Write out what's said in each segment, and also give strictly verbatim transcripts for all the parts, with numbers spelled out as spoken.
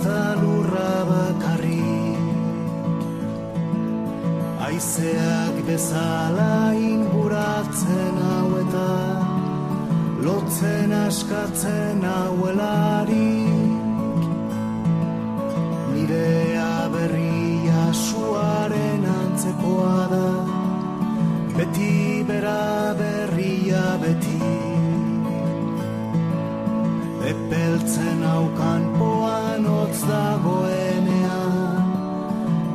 da lurra bakarrik, haizeak bezala inguratzen hau eta lotzen askatzen hauelarik, nirea berria suaren antzekoa da, beti bera berria beti. Epeltzen haukan poan hotz dagoenean,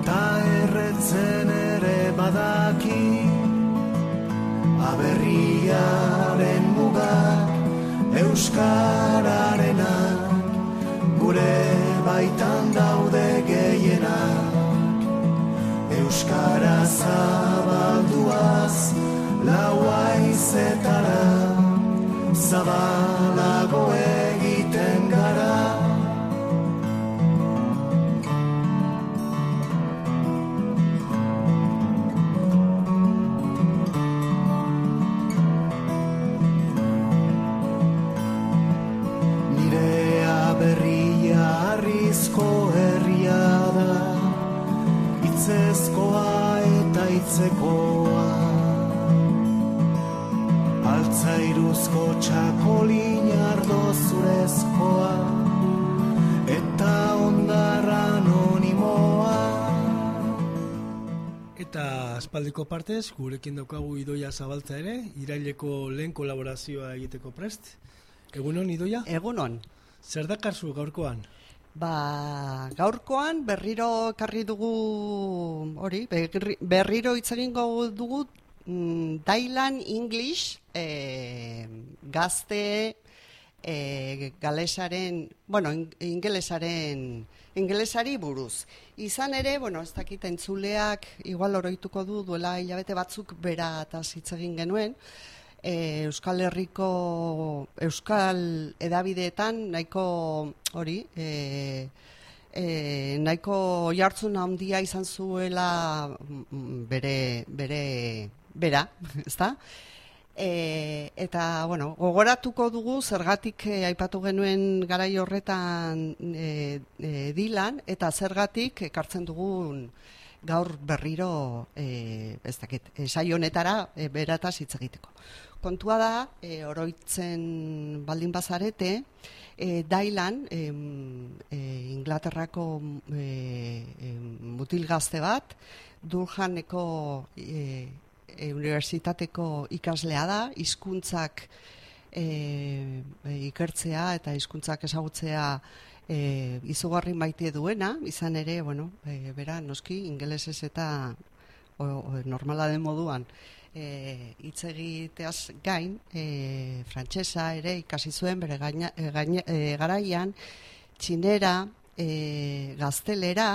ta erretzen ere badaki, aberriaren mugak euskararenak, gure baitan daude gehienak, euskara zabalduaz lau haizetara, zabalago egiten gara. Nirea berria harrizko herria da, hitzezkoa eta hitzekoa, altzairuzko txakolin ardo zurezkoa, eta ondarra anonimoa. Eta aspaldiko partez, gurekin daukagu Idoia Zabaltza ere, iraileko lehen kolaborazioa egiteko prest. Egunon, Idoia? Egunon. Zer dakarzu gaurkoan? Ba, gaurkoan berriro ekarri dugu, hori, berriro hitz egingo dugu Dailan English, eh, gazte eh, galesaren, bueno, ingelesaren, ingelesari buruz. Izan ere, bueno, ez dakit entzuleak, igual oroituko du, duela hilabete batzuk bera eta hitz egin genuen, eh, Euskal Herriko, Euskal edabideetan nahiko hori, eh, E, nahiko jartzun handia izan zuela bere, bere, bera, ezta? E, eta, bueno, gogoratuko dugu zergatik e, aipatu genuen garai horretan e, e, Dilan, eta zergatik ekartzen dugun gaur berriro, e, ez dakit, e, saio honetara e, berataz hitz egiteko. Kontua da, e, oroitzen baldin bazarete, e, Dailan, e, e, Inglaterrako e, e, mutil gazte bat, Durhameko e, e, unibertsitateko ikaslea da, hizkuntzak e, e, ikertzea eta hizkuntzak ezagutzea e, izugarri maite duena, izan ere, bueno, e, bera, noski, ingelesez eta o, o, normala den moduan, hitz e, egiteaz gain, e, frantsesa ere ikasi zuen bere gaina, e, gaina, e, garaian, txinera, e, gaztelera,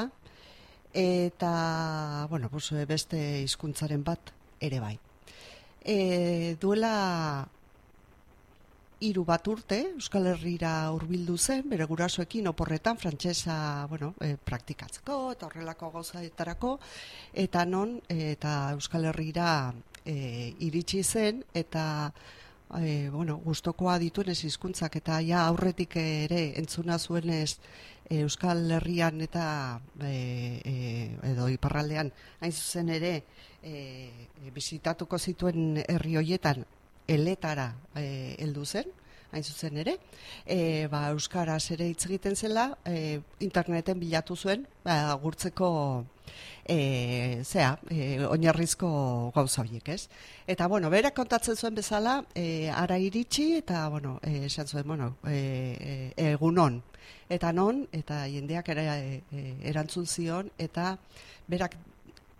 eta, bueno, pues, beste hizkuntzaren bat ere bai. E, duela hiru bat urte, Euskal Herrira hurbildu zen, bere gurasoekin oporretan frantsesa, bueno, e, praktikatzeko eta horrelako gauzaetarako, eta non, e, eta Euskal Herrira e, iritsi zen, eta e, bueno, gustokoa dituenez hizkuntzak eta ja aurretik ere entzuna zuenez e, Euskal Herrian eta e, e, edo iparraldean hain zuzen ere e, bisitatuko zituen herri hoietan eletara e, heldu zen, hain zuzen ere, e, ba, euskaraz ere hitz egiten zela, e, interneten bilatu zuen, ba, gurtzeko e, zea, e, oinarrizko gauza horiek, ez? Eta, bueno, berak kontatzen zuen bezala, e, ara iritsi, eta, bueno, e, esan zuen, bueno, e, e, egunon, eta non, eta jendeak ere e, erantzun zion, eta berak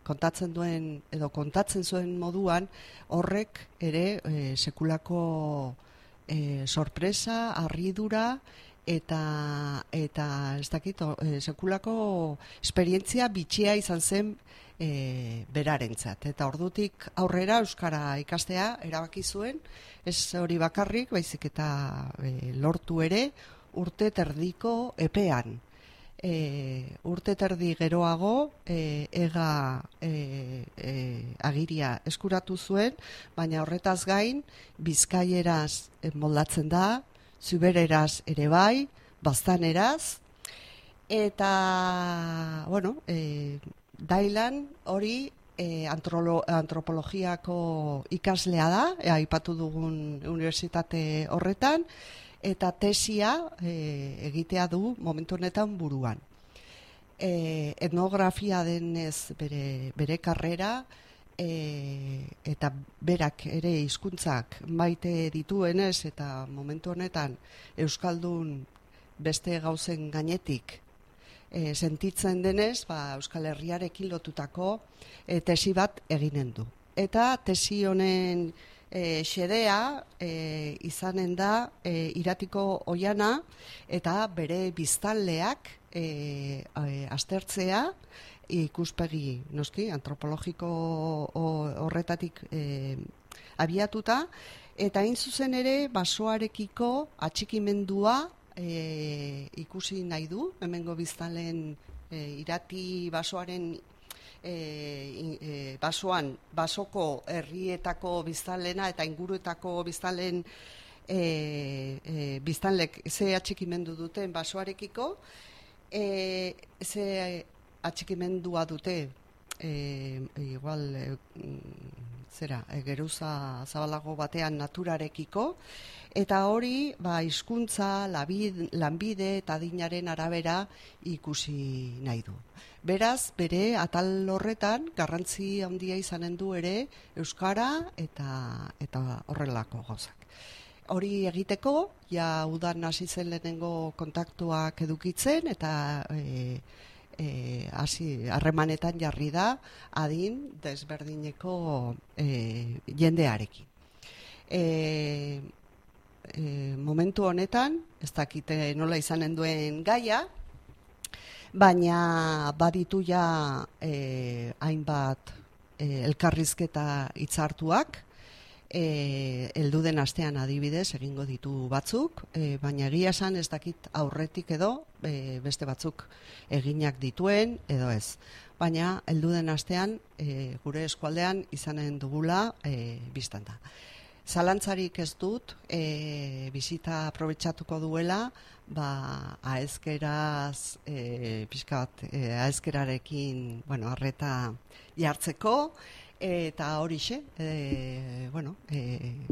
kontatzen duen edo kontatzen zuen moduan horrek ere e, sekulako e, sorpresa, harridura eta eta ez dakit e, sekulako esperientzia bitxia izan zen e, berarentzat. Eta ordutik aurrera euskara ikastea erabaki zuen, ez hori bakarrik, baizik eta e, lortu ere urte terdiko epean. E, urte terdi geroago e, ega e, e, agiria eskuratu zuen, baina horretaz gain bizkaieraz moldatzen da, zubereraz ere bai, baztaneraz, Eta, bueno, e, Dailan hori e, antrolo, antropologiako ikaslea da, e, aipatu dugun unibertsitate horretan, eta tesia e, egitea du momentu honetan buruan. E, etnografia denez bere, bere karrera, e, eta berak ere hizkuntzak maite dituenez, eta momentu honetan Euskaldun beste gauzen gainetik e, sentitzen denez, ba, Euskal Herriarekin lotutako e, tesi bat eginen du. Eta tesi honen e, xedea e, izanen da e, Iratiko Oiana eta bere biztanleak e, e, aztertzea, ikuspegi noski antropologiko horretatik e, abiatuta, eta hain zuzen ere basoarekiko atxikimendua e, ikusi nahi du, hemengo biztanleen e, Irati basoaren e, e, basoan, basoko herrietako biztanlena eta inguruetako biztanleen e, e, biztanlek ze atxikimendu duten basoarekiko, e, ze atxikimendua dute e, igual e, zera, e, geruza zabalago batean naturarekiko, eta hori ba, hizkuntza, lanbide eta adinaren arabera ikusi nahi du. Beraz, bere atal horretan garrantzi handia izanen du ere euskara eta, eta horrelako gauzak. Hori egiteko, ja udan hasi zen lehenengo kontaktuak edukitzen, eta e, E, hasi harremanetan jarri da adin desberdineko e, jendearekin. E, e, momentu honetan, ez dakite nola izanen duen gaia, baina baditu ja e, hainbat e, elkarrizketa hitzartuak, E, heldu den astean adibidez egingo ditu batzuk, e, baina egia esan ez dakit aurretik edo e, beste batzuk eginak dituen edo ez. Baina heldu den astean e, gure eskualdean izanen dugula e, biztan da. Zalantzarik ez dut, e, bizita aprobetxatuko duela, ba, aezkeraz, e, pixkat, e, aezkerarekin, bueno, arreta jartzeko, eta horixe, e, bueno, e,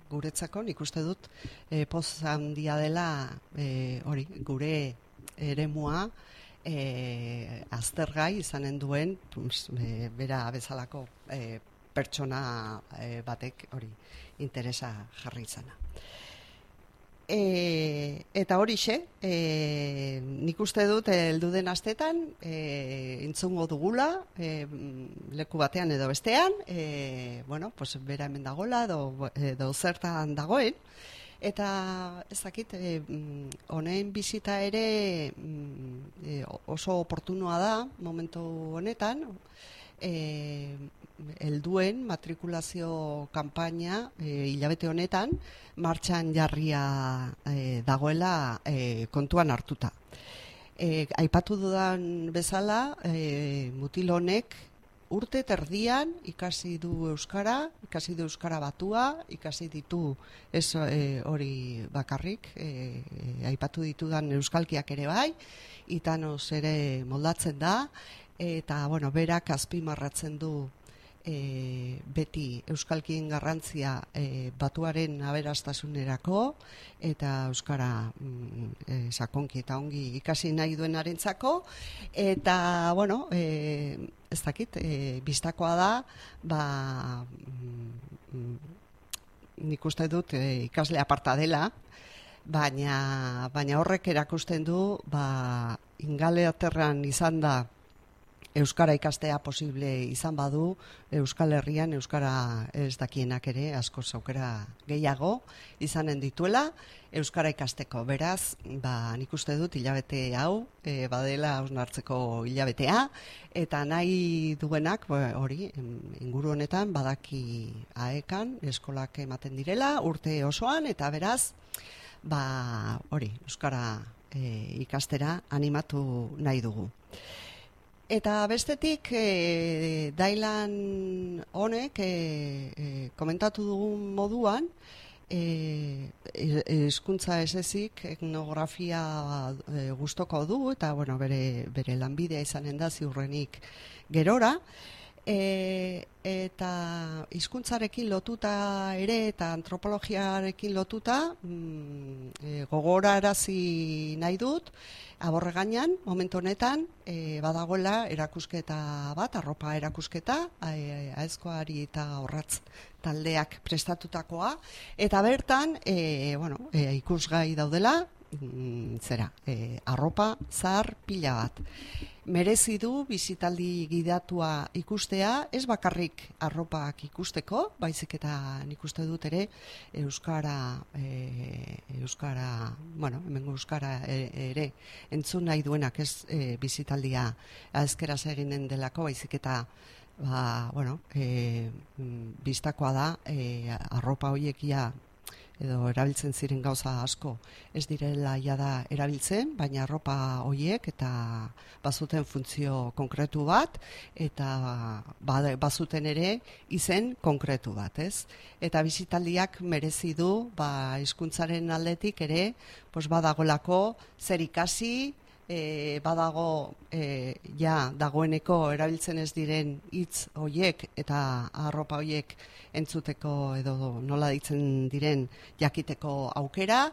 guretzako nik uste dut e, poz handia dela e, hori, gure eremua e, aztergai izanen duen pues, e, bera bezalako e, pertsona e, batek hori interesa jarri izana. E, eta horixe, e, nik uste dut heldu den astetan e, entzungo dugula e, leku batean edo bestean, e, bueno, pues bera hemen dagoela edo, edo zertan dagoen, eta ez dakit, e, honen bizita ere e, oso oportunua da momentu honetan, e, helduen matrikulazio kanpaina e, hilabete honetan martxan jarria e, dagoela e, kontuan hartuta. E, aipatu dudan bezala, e, mutil honek urte terdian ikasi du euskara, ikasi du euskara batua, ikasi ditu ez e, hori bakarrik, e, e, aipatu ditudan euskalkiak ere bai, itanos ere moldatzen da, eta bueno, berak azpimarratzen du E, beti euskalkien garrantzia e, batuaren aberastasunerako eta euskara mm, e, sakonki eta ongi ikasi nahi duenarentzako, eta bueno, e, ez dakit, e, bistakoa da, ba, mm, nik uste dut e, ikasle aparta dela, baina, baina horrek erakusten du, ba, Ingalaterran izan da euskara ikastea posible izan badu, Euskal Herrian euskara ez dakienak ere asko aukera gehiago izanen dituela euskara ikasteko. Beraz, ba, nik uste dut hilabete hau e, badela hausnartzeko hilabetea, eta nahi duenak hori inguru honetan badaki aekan eskolak ematen direla urte osoan, eta beraz ba, hori euskara e, ikastera animatu nahi dugu. Eta bestetik, e, Dailan honek e, e, komentatu dugun moduan, hizkuntza e, esezik etnografia e, gustoko du eta bueno, bere, bere lanbidea izanen da ziurrenik gerora. E, eta hizkuntzarekin lotuta ere eta antropologiarekin lotuta mm, e, gogorarazi nahi dut Aborre gainean, momentu honetan e, badagoela erakusketa bat, arropa erakusketa e, aezkoari eta horratz taldeak prestatutakoa eta bertan e, bueno, e, ikusgai daudela mm, zera, e, arropa zahar pila bat. Merezi du bizitaldi gidatua ikustea, ez bakarrik arropak ikusteko, baizik eta nik uste dut ere euskara, e, euskara, bueno, hemengo euskara ere entzun nahi duenak ez e, bizitaldia azkeraz eginen delako, baizik eta ba, bueno, e, bistakoa da e, arropa hoiekia edo erabiltzen ziren gauza asko ez direla jada erabiltzen, baina arropa hoiek eta bazuten funtzio konkretu bat eta bazuten ere izen konkretu bat, ez? Eta bizitaldiak merezi du ba hizkuntzaren aldetik ere, pues badagolako zer ikasi, E, badago e, ja dagoeneko erabiltzen ez diren hitz hoiek eta arropa hoiek entzuteko edo nola ditzen diren jakiteko aukera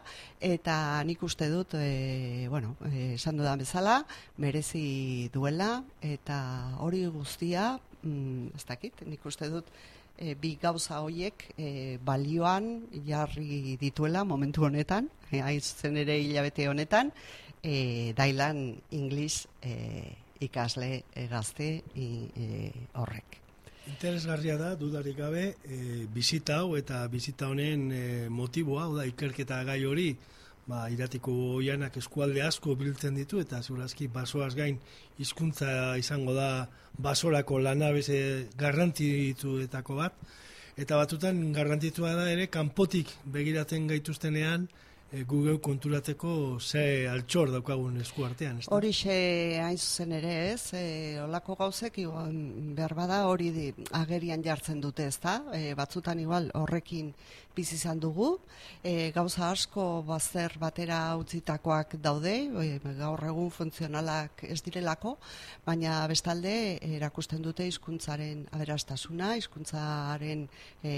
eta nik uste dut e, bueno, e, esan dudan bezala merezi duela eta hori guztia mm, ez dakit, nik uste dut E, bi gauza hoiek e, balioan jarri dituela momentu honetan, e, haizen ere hilabete honetan, e, Dailan English e, ikasle e, gazte e, horrek. Interesgarria da, dudarik gabe, e, bizita hau eta bizita honen e, motiboa, da ikerketa gai hori, ba, iratiko oianak eskualde asko biltzen ditu eta zurazki basoaz gain hizkuntza izango da basorako lanabese garrantzituetako bat eta batutan garrantzitsua da ere kanpotik begiratzen gaituztenean e, gu geu konturatzeko ze altxor daukagun eskuartean. Horixe hain zuzen ere ez, e, olako gauzek igual, behar bada hori di, agerian jartzen dute ez da, e, batzutan igual horrekin bizi izan dugu, e, gauza asko bazter batera utzitakoak daude, e, gaur egun funtzionalak ez direlako, baina bestalde erakusten dute hizkuntzaren aberastasuna, hizkuntzaren e,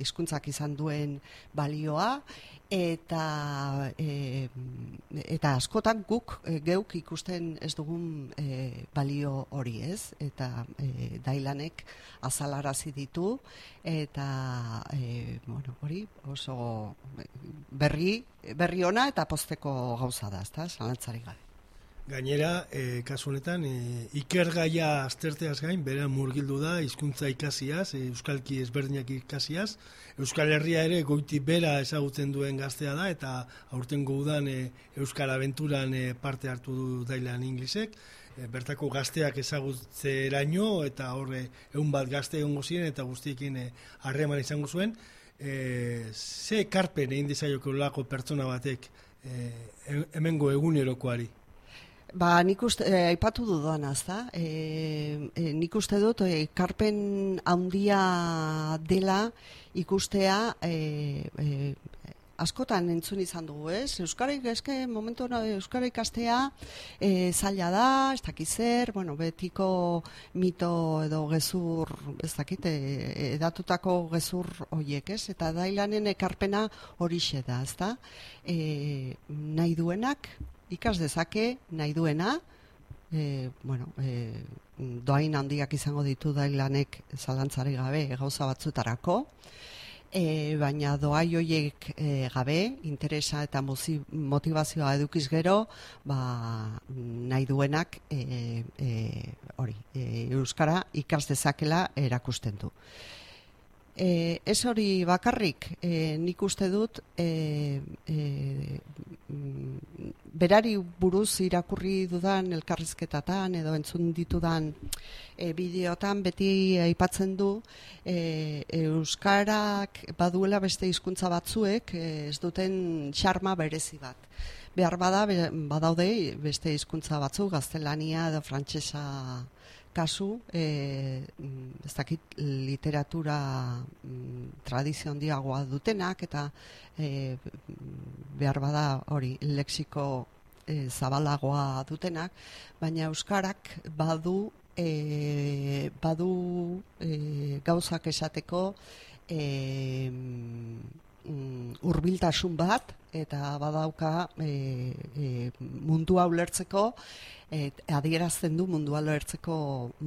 hizkuntzak izan duen balioa, eta e, eta askotan guk e, geuk ikusten ez dugun e, balio hori ez, eta e, Dailanek azalarazi ditu, eta e, bueno, hori oso berri, berri ona eta pozteko gauza da, ezta, zalantzarik gabe. Gainera, e, kasu honetan, e, ikergaia azterteaz gain, bera murgildu da, hizkuntza ikasiaz, e, euskalki ezberdinak ikasiaz, Euskal Herria ere goiti bera ezagutzen duen gaztea da, eta aurtengo udan e, Euskal Abenturan e, parte hartu du Dailan Inglesek, e, bertako gazteak ezagutzeraino, eta horre egun bat gazte egongo ziren, eta guztiekin harreman e, izango zuen, e, ze ekarpen egin dizaioko lako pertsona batek e, hemengo egunerokoari? Ba, nik uste, eh, aipatu dudan, azta, e, e, nik uste dut, e, karpen handia dela ikustea, e, e, askotan entzun izan dugu, ez? Euskara, eske, momentu Euskara ikastea e, zaila da, ez dakit zer, bueno, betiko mito edo gezur, ez dakit, e, edatutako gezur horiek, ez? Eta Dailanen ekarpena horixe da, ez da? E, nahi duenak, ikas dezake nahi duena, e, bueno, e, doain handiak izango ditu Dailanek zalantzari gabe gauza batzutarako, e, baina doai hoiek e, gabe, interesa eta motivazioa edukiz gero, ba, nahi duenak e, e, hori, e, euskara ikas dezakela erakusten du. E, ez hori bakarrik, e, nik uste dut e, e, berari buruz irakurri dudan elkarrizketatan edo entzun ditudan e, bideotan beti aipatzen du e, euskarak baduela beste hizkuntza batzuek e, ez duten xarma berezi bat. Behar bada badaude beste hizkuntza batzuk, gaztelania edo frantsesa kasu, e, ez dakit literatura mm, tradizio handiagoa dutenak, eta e, behar bada hori lexiko e, zabalagoa dutenak, baina euskarak badu e, badu e, gauzak esateko e, hurbiltasun bat, eta badauka e, e, mundua ulertzeko, e, adierazten du mundua ulertzeko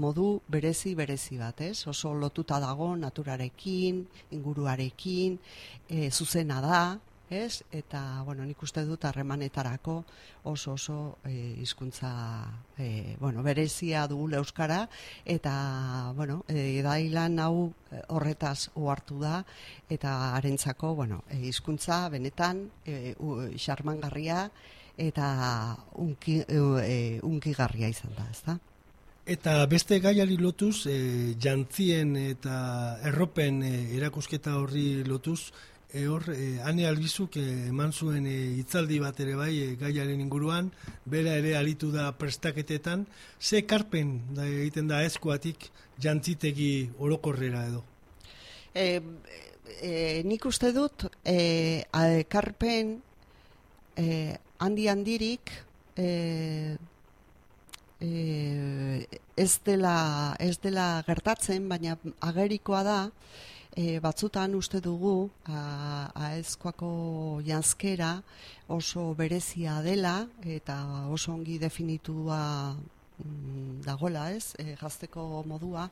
modu berezi berezi bat, ez? Oso lotuta dago naturarekin, inguruarekin, e, zuzena da, ez? Eta, bueno, nik uste dut harremanetarako oso oso e, hizkuntza e, bueno, berezia dugu euskara, eta, bueno, e, dailan hau horretaz ohartu da, eta harentzako, bueno, e, hizkuntza benetan e, xarmangarria eta unki, e, unkigarria izan da, ezta? Eta beste gaiari lotuz, e, jantzien eta erropen e, erakusketa horri lotuz, E hor, e, Ane Albizuk e, eman zuen e, hitzaldi bat ere bai e, gaiaren inguruan, bera ere aritu da prestaketetan, ze ekarpen da egiten da eskuatik jantzitegi orokorrera edo? E, e, nik uste dut, e, ekarpen e, handi handirik e, e, ez dela, ez dela gertatzen, baina agerikoa da, E, batzutan uste dugu aezkoako janzkera oso berezia dela eta oso ongi definitua mm, dagoela, ez, e, gazteko modua,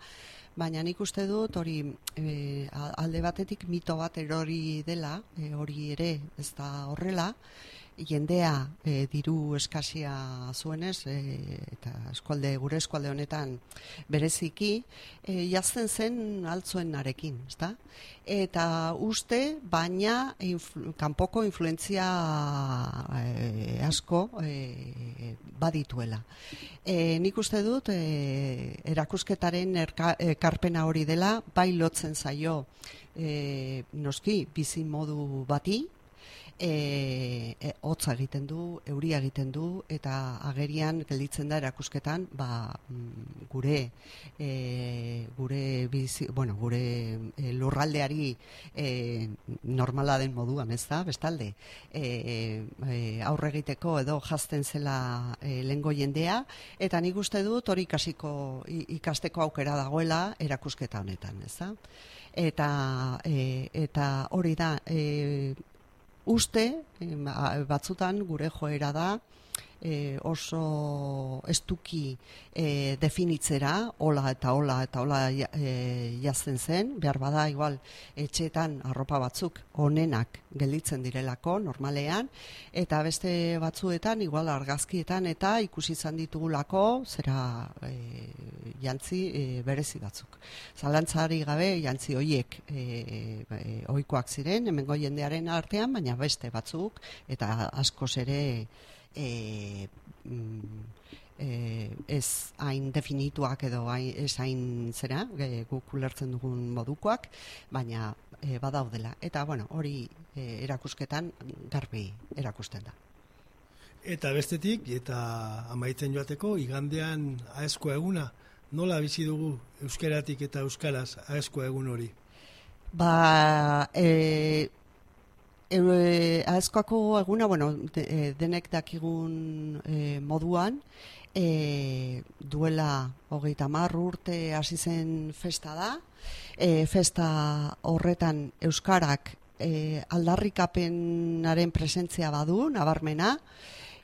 baina nik uste dut hori e, alde batetik mito bat erori dela, e, hori ere ez da horrela, jendea e, diru eskasia zuenez, e, eta eskualde, gure eskualde honetan bereziki, e, jazten zen altzuenarekin, ezta? Eta uste, baina influ, kanpoko influentzia e, asko e, badituela. E, nik uste dut, e, erakusketaren erka, ekarpena hori dela, bai lotzen zaio e, noski bizi modu bati, E, e, hotza egiten du, euria egiten du, eta agerian gelditzen da erakusketan, ba, gure e, gure bizi, bueno, gure e, lurraldeari e, normala den moduan, ez da, bestalde, e, e, aurre egiteko edo jazten zela e, lehengo jendea, eta nik uste dut hori ikasiko, ikasteko aukera dagoela erakusketa honetan, ez da? Eta, e, eta hori da, e, uste, batzutan gure joera da, e, oso estuki e, definitzera, hola eta hola eta hola e, jazten zen, behar bada igual etxeetan arropa batzuk onenak gelditzen direlako normalean, eta beste batzuetan igual argazkietan eta ikusi izan ditugulako zera e, jantzi e, berezi batzuk. Zalantzari gabe jantzi horiek e, e, ohikoak ziren, hemengo jendearen artean, baina beste batzuk eta askoz ere E, mm, e, ez hain definituak edo hain, ez hain zera, e, guk ulertzen dugun modukoak, baina e, badaudela. Eta bueno, hori e, erakusketan garbi erakusten da. Eta bestetik, eta amaitzen joateko, igandean aezkoa eguna, nola bizi dugu euskeratik eta euskaraz aezkoa egun hori? Ba, e, E, aezkoako eguna, bueno, de, denek dakigun e, moduan, e, duela hogeita hamar urte hasi zen festa da, e, festa horretan euskarak e, aldarrikapenaren presentzia badu, nabarmena,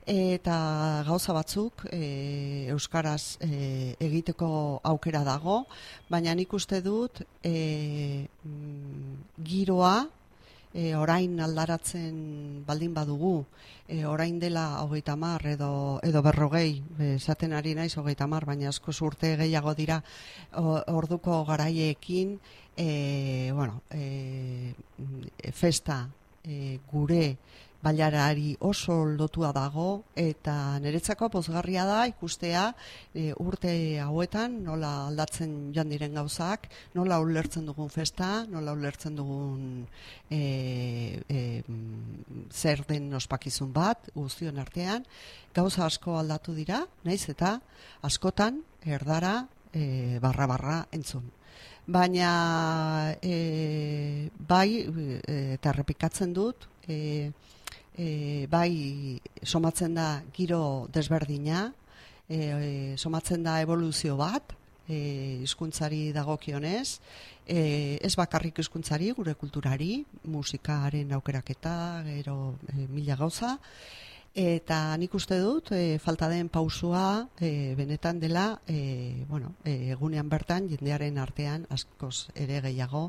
eta gauza batzuk e, euskaraz e, egiteko aukera dago, baina nik uste dut e, giroa, E, orain aldaratzen baldin badugu, e, orain dela hogeita hamar edo, edo berrogei, esaten ari naiz hogeita hamar, baina asko urte gehiago dira o, orduko garaiekin, e, bueno, e, festa e, gure bailarari oso lotua dago, eta niretzako pozgarria da ikustea e, urte hauetan nola aldatzen joan diren gauzak, nola ulertzen dugun festa, nola ulertzen dugun e, e, zer den ospakizun bat guztion artean, gauza asko aldatu dira, naiz eta askotan erdara e, barra-barra entzun. Baina e, bai, e, eta errepikatzen dut, e, e, bai somatzen da giro desberdina, e, e, somatzen da evoluzio bat, e, hizkuntzari dagokionez, e, ez bakarrik hizkuntzari, gure kulturari, musikaren aukeraketa, gero e, mila gauza, eta nik uste dut, e, falta den pausua e, benetan dela, e, bueno, e, egunean bertan jendearen artean askoz ere gehiago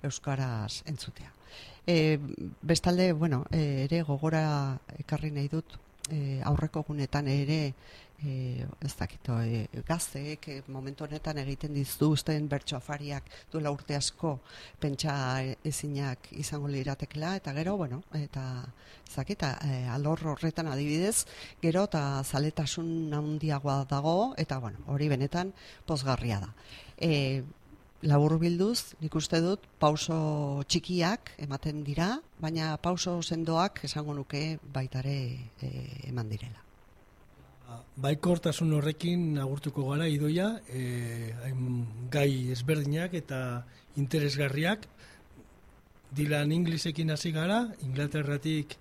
euskaraz entzutea. E, bestalde, bueno, e, ere gogora ekarri nahi dut, e, aurreko egunetan ere, e, ez dakito, e, gazteek e, momentu honetan egiten dituzten bertso afariak duela urte asko pentsa ezinak izango liratekela, eta gero, bueno, eta ez dakita, e, alor horretan adibidez, gero eta zaletasun handiagoa dago, eta bueno, hori benetan pozgarria da. E, labur bilduz, nik uste dut, pauso txikiak ematen dira, baina pauso sendoak esango nuke baitare e, eman direla. Baikortasun horrekin agurtuko gara Idoia, e, gai ezberdinak eta interesgarriak. Dylan Inglesekin hasi gara, Inglaterratik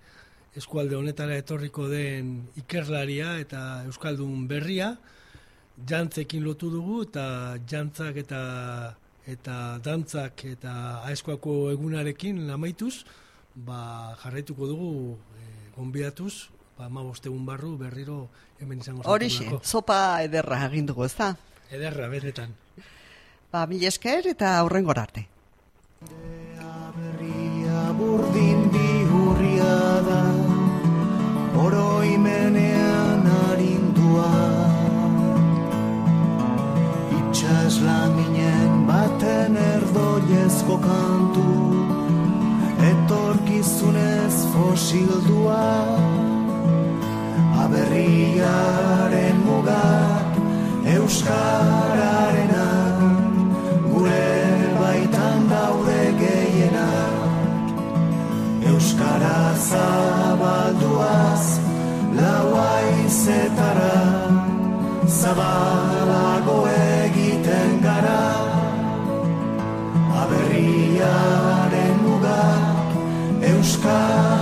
eskualde honetara etorriko den ikerlaria eta euskaldun berria, jantzekin lotu dugu, eta jantzak eta eta dantzak eta aeskoako egunarekin lamaituz, ba, jarraituko dugu e, gonbidatuz, ba, hamabost egun barru berriro hemen izango zaitu. Horixe, sopa ederra egin dugu, ez da? Ederra, benetan. Ba, mil esker eta aurrengora arte. Berria burdin bihurria da, oroimenean arindua. Itxas laminen baten erdoiezko kantu, etorkizunez fosildua. Aberriaren mugak euskararenak, gure baitan daude gehienak. Euskara zabalduaz lau haizetara, zabalago egiten gara. Aberriaren mugak euskararenak,